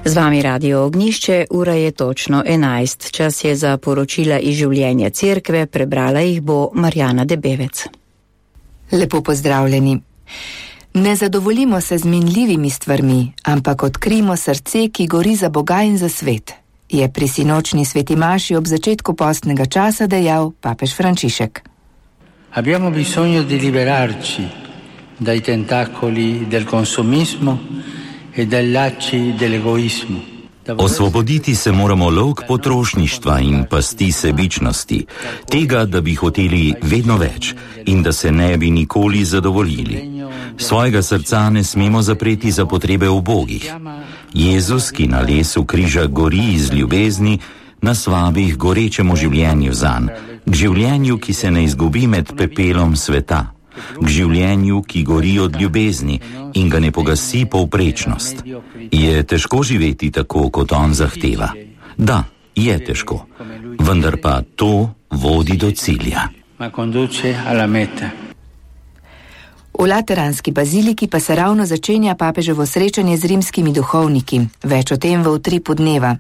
Z vami Radio Ognjišče, ura je točno 11. Čas je za poročila iz življenja cerkve, prebrala jih bo Marjana Debevec. Lepo pozdravljeni. Ne zadovoljimo se z minljivimi stvarmi, ampak odkrijmo srce, ki gori za Boga in za svet, je pri sinočni sveti maši ob začetku postnega časa dejal papež Frančišek. Abbiamo bisogno di liberarci dai tentacoli del consumismo e dai lacci dell'egoismo. Osvoboditi se moramo lok potrošništva in pasti sebičnosti, tega, da bi hoteli vedno več in da se ne bi nikoli zadovoljili. Svojega srca ne smemo zapreti za potrebe ubogih. Jezus, ki na lesu križa gori iz ljubezni, nas vabi k gorečemu življenju zanj, k življenju, ki se ne izgubi med pepelom sveta, k življenju, ki gori od ljubezni in ga ne pogasi povprečnost. Je težko živeti tako, kot on zahteva? Da, je težko, vendar pa to vodi do cilja. V Lateranski baziliki pa se ravno začenja papeževo srečanje z rimskimi duhovniki, več o tem v utripu dneva.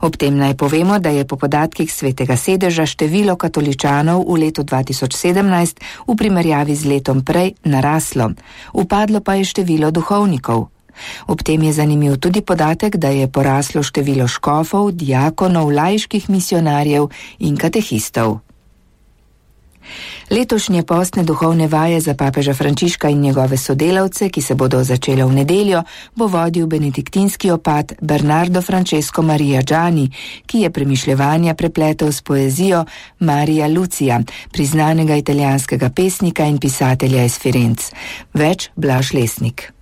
Ob tem naj povemo, da je po podatkih Svetega sedeža število katoličanov v letu 2017 v primerjavi z letom prej naraslo, upadlo pa je število duhovnikov. Ob tem je zanimiv tudi podatek, da je poraslo število škofov, diakonov, laiških misionarjev in katehistov. Letošnje postne duhovne vaje za papeža Frančiška in njegove sodelavce, ki se bodo začele v nedeljo, bo vodil benediktinski opat Bernardo Francesco Maria Gianni, ki je premišljevanja prepletel s poezijo Maria Lucia, priznanega italijanskega pesnika in pisatelja iz Firenc. Več Blaž Lesnik.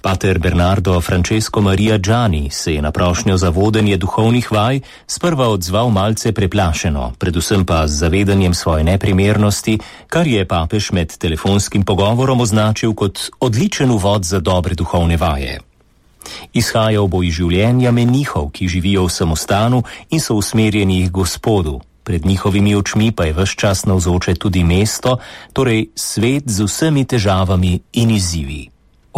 Pater Bernardo Francesco Maria Gianni se je na prošnjo za vodenje duhovnih vaj sprva odzval malce preplašeno, predvsem pa z zavedanjem svoje neprimernosti, kar je papež med telefonskim pogovorom označil kot odličen uvod za dobre duhovne vaje. Izhajal bo iz življenja menihov, ki živijo v samostanu in so usmerjeni k Gospodu. Pred njihovimi očmi pa je ves čas navzoče tudi mesto, torej svet z vsemi težavami in izzivi.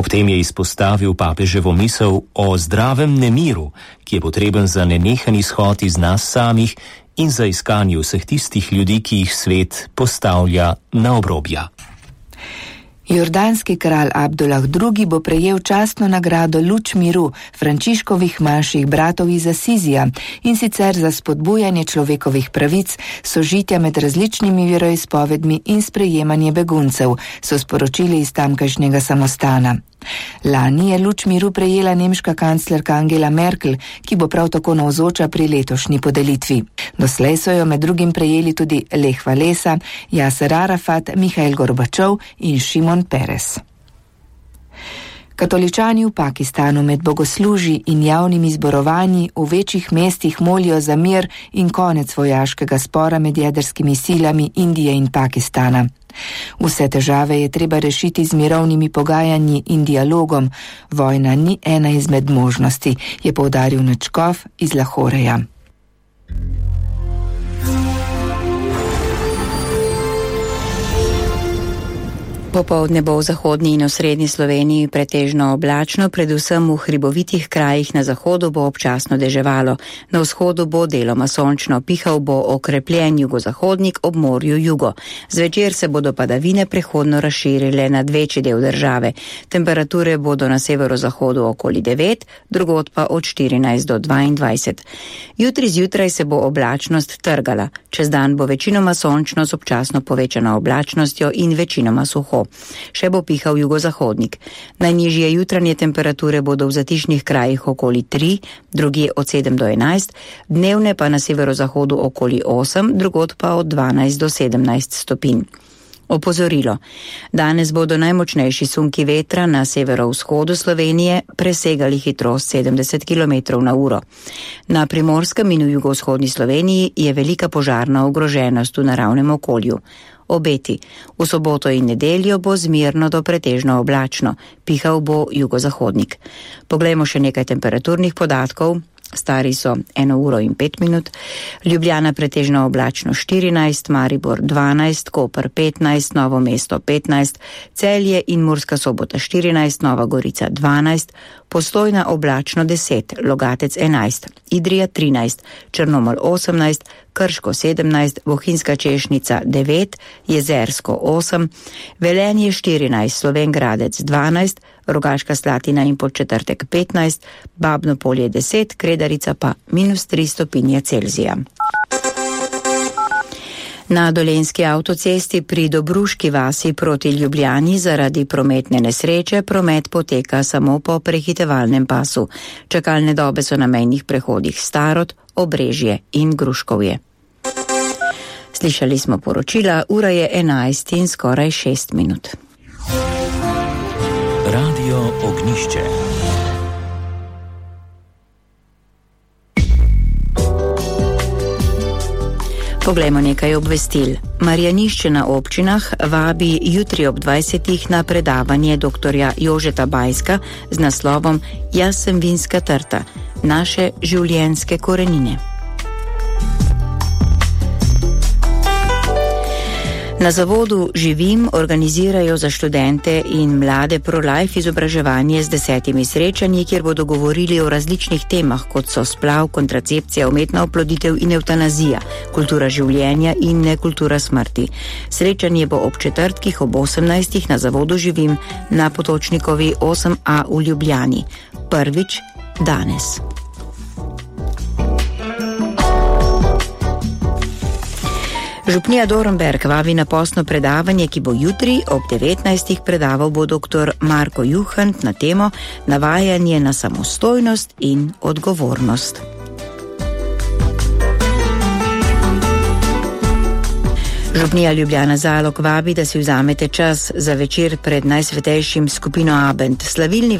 Ob tem je izpostavil papeževo misel o zdravem nemiru, ki je potreben za nenehen izhod iz nas samih in za iskanje vseh tistih ljudi, ki jih svet postavlja na obrobja. Jordanski kralj Abdullah II. Bo prejel častno nagrado Luč miru Frančiškovih manjših bratov iz Asizija, in sicer za spodbujanje človekovih pravic, sožitja med različnimi veroizpovedmi in sprejemanje beguncev, so sporočili iz tamkajšnjega samostana. Lani je Luč miru prejela nemška kanclerka Angela Merkel, ki bo prav tako navzoča pri letošnji podelitvi. Doslej so jo med drugim prejeli tudi Lech Walesa, Yasser Arafat, Mihail Gorbačov in Šimon Peres. Katoličani v Pakistanu med bogoslužji in javnimi zborovanji v večjih mestih molijo za mir in konec vojaškega spora med jedrskimi silami Indije in Pakistana. Vse težave je treba rešiti z mirovnimi pogajanji in dialogom. Vojna ni ena izmed možnosti, je poudaril nadškof iz Lahoreja. Popoldne bo v zahodni in osrednji Sloveniji pretežno oblačno, predvsem v hribovitih krajih na zahodu bo občasno deževalo. Na vzhodu bo deloma sončno, pihal bo okrepljen jugozahodnik, ob morju jugo. Zvečer se bodo padavine prehodno razširile nad večji del države. Temperature bodo na severozahodu okoli 9, drugod pa od 14 do 22. Jutri zjutraj se bo oblačnost trgala. Čez dan bo večinoma sončno z občasno povečano oblačnostjo in večinoma suho. Še bo pihal jugozahodnik. Najnižje jutranje temperature bodo v zatišnih krajih okoli 3, drugje od 7 do 11, dnevne pa na severozahodu okoli 8, drugod pa od 12 do 17 stopinj. Opozorilo. Danes bodo najmočnejši sunki vetra na severovzhodu Slovenije presegali hitrost 70 km na uro. Na Primorskem in v jugovzhodni Sloveniji je velika požarna ogroženost v naravnem okolju. Obeti. V soboto in nedeljo bo zmirno do pretežno oblačno, pihal bo jugozahodnik. Poglejmo še nekaj temperaturnih podatkov. stari so 1 uro in 5 minut, Ljubljana pretežno oblačno 14, Maribor 12, Koper 15, Novo mesto 15, Celje in Murska Sobota 14, Nova Gorica 12, Postojna oblačno 10, Logatec 11, Idrija 13, Črnomelj 18, Krško 17, Bohinjska Češnica 9, Jezersko 8, Velenje 14, Slovenj Gradec 12, Rogaška Slatina in Podčetrtek 15, Babno Polje 10, Kredarica pa -3 stopinje Celzija. Na Dolenjski avtocesti pri Dobruški vasi proti Ljubljani zaradi prometne nesreče promet poteka samo po prehitevalnem pasu. Čakalne dobe so na mejnih prehodih Starod, Obrežje in Gruškovje. Slišali smo poročila, ura je 11 in skoraj 6 minut. Radio Ognjišče. Poglejmo nekaj obvestil. Marjanišče na občinah vabi jutri ob 20. na predavanje doktorja Jožeta Bajska z naslovom Jaz sem vinska trta. Naše življenjske korenine. Na zavodu Živim organizirajo za študente in mlade pro-life izobraževanje z 10 srečanji, kjer bodo govorili o različnih temah, kot so splav, kontracepcija, umetna oploditev in evtanazija, kultura življenja in nekultura smrti. Srečanje bo ob četrtkih ob 18. na zavodu Živim na Potočnikovi 8A v Ljubljani. Prvič danes. Župnija Dornberk vabi na postno predavanje, ki bo jutri ob 19. predaval bo dr. Marko Juhant na temo Navajanje na samostojnost in odgovornost. Župnija Ljubljana Zalog vabi, da si vzamete čas za večer pred najsvetejšim skupino Abend. Slavilni